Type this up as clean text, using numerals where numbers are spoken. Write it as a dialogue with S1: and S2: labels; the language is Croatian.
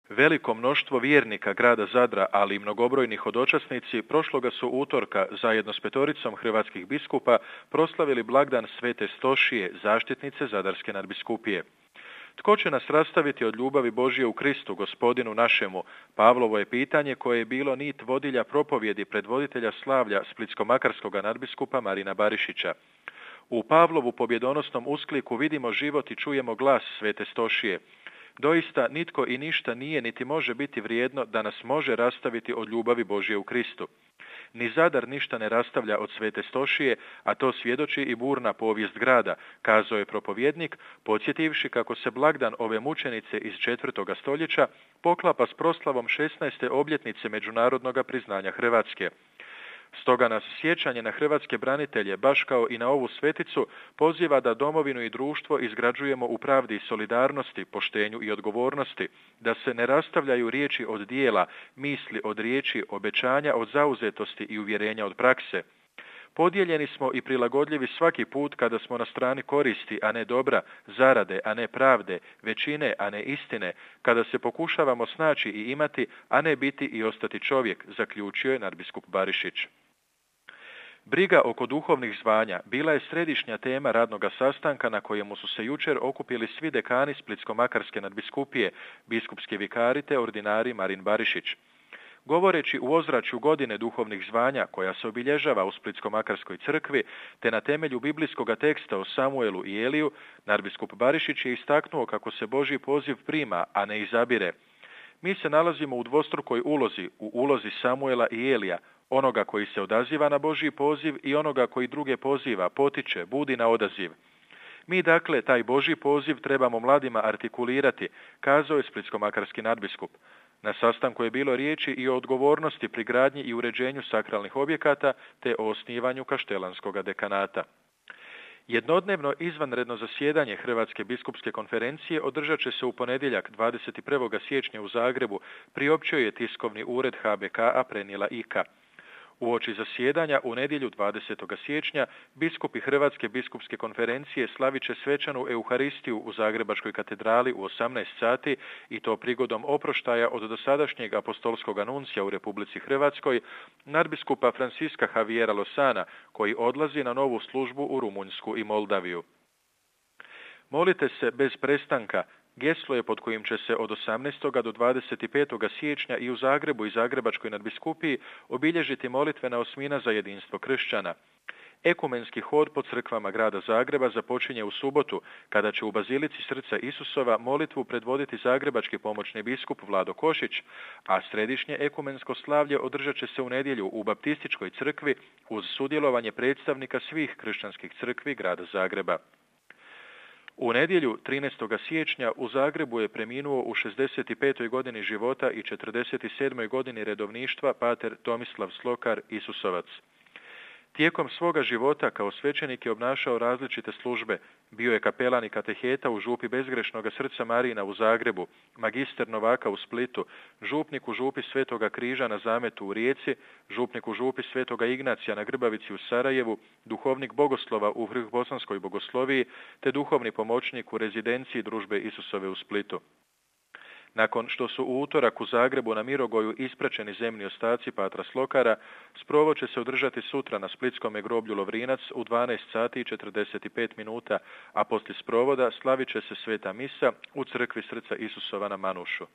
S1: Veliko mnoštvo vjernika grada Zadra, ali i mnogobrojni hodočasnici, prošloga su utorka zajedno s 5 hrvatskih biskupa proslavili blagdan Svete Stošije, zaštitnice Zadarske nadbiskupije. Tko će nas rastaviti od ljubavi Božje u Kristu, Gospodinu našemu? Pavlovo je pitanje koje je bilo nit vodilja propovjedi predvoditelja slavlja splitsko-makarskoga nadbiskupa Marina Barišića. U Pavlovu pobjedonosnom uskliku vidimo život i čujemo glas Svete Stošije. Doista nitko i ništa nije niti može biti vrijedno da nas može rastaviti od ljubavi Božje u Kristu. Ni Zadar ništa ne rastavlja od Svete Stošije, a to svjedoči i burna povijest grada, kazao je propovjednik, podsjetivši kako se blagdan ove mučenice iz 4. stoljeća poklapa s proslavom 16. obljetnice međunarodnog priznanja Hrvatske. Stoga nas sjećanje na hrvatske branitelje, baš kao i na ovu sveticu, poziva da domovinu i društvo izgrađujemo u pravdi i solidarnosti, poštenju i odgovornosti, da se ne rastavljaju riječi od dijela, misli od riječi, obećanja od zauzetosti i uvjerenja od prakse. Podijeljeni smo i prilagodljivi svaki put kada smo na strani koristi, a ne dobra, zarade, a ne pravde, većine, a ne istine, kada se pokušavamo snaći i imati, a ne biti i ostati čovjek, zaključio je nadbiskup Barišić. Briga oko duhovnih zvanja bila je središnja tema radnoga sastanka na kojemu su se jučer okupili svi dekani Splitsko-makarske nadbiskupije, biskupski vikari te ordinari Marin Barišić. Govoreći u ozračju godine duhovnih zvanja koja se obilježava u Splitsko-makarskoj crkvi, te na temelju biblijskog teksta o Samuelu i Eliju, nadbiskup Barišić je istaknuo kako se Božji poziv prima, a ne izabire. Mi se nalazimo u dvostrukoj ulozi, u ulozi Samuela i Elija, onoga koji se odaziva na Božji poziv i onoga koji druge poziva, potiče, budi na odaziv. Mi dakle taj Božji poziv trebamo mladima artikulirati, kazao je splitsko-makarski nadbiskup. Na sastanku je bilo riječi i o odgovornosti pri gradnji i uređenju sakralnih objekata te o osnivanju kaštelanskog dekanata. Jednodnevno izvanredno zasjedanje Hrvatske biskupske konferencije održat će se u ponedjeljak 21. siječnja u Zagrebu, priopćio je tiskovni ured HBK-a prenijela IKA. Uoči zasjedanja u nedjelju 20. siječnja biskupi Hrvatske biskupske konferencije slavit će svečanu Euharistiju u Zagrebačkoj katedrali u 18 sati i to prigodom oproštaja od dosadašnjeg apostolskog anuncija u Republici Hrvatskoj, nadbiskupa Franciska Javiera Losana, koji odlazi na novu službu u Rumunjsku i Moldaviju. Molite se bez prestanka. Geslo je pod kojim će se od 18. do 25. siječnja i u Zagrebu i Zagrebačkoj nadbiskupiji obilježiti molitvena osmina za jedinstvo kršćana. Ekumenski hod po crkvama grada Zagreba započinje u subotu, kada će u Bazilici Srca Isusova molitvu predvoditi zagrebački pomoćni biskup Vlado Košić, a središnje ekumensko slavlje održat će se u nedjelju u Baptističkoj crkvi uz sudjelovanje predstavnika svih kršćanskih crkvi grada Zagreba. U nedjelju 13. siječnja u Zagrebu je preminuo u 65. godini života i 47. godini redovništva pater Tomislav Slokar Isusovac. Tijekom svoga života kao svećenik je obnašao različite službe. Bio je kapelan i kateheta u župi Bezgrešnoga Srca Marina u Zagrebu, magister Novaka u Splitu, župnik u župi Svetoga Križa na Zametu u Rijeci, župnik u župi Svetoga Ignacija na Grbavici u Sarajevu, duhovnik bogoslova u Vrhbosanskoj bogosloviji, te duhovni pomoćnik u rezidenciji Družbe Isusove u Splitu. Nakon što su u utorak u Zagrebu na Mirogoju ispraćeni zemni ostaci patra Slokara, sprovod će se održati sutra na splitskome groblju Lovrinac u 12 sati i 45 minuta, a poslije sprovoda slavit će se sveta misa u crkvi Srca Isusova na Manušu.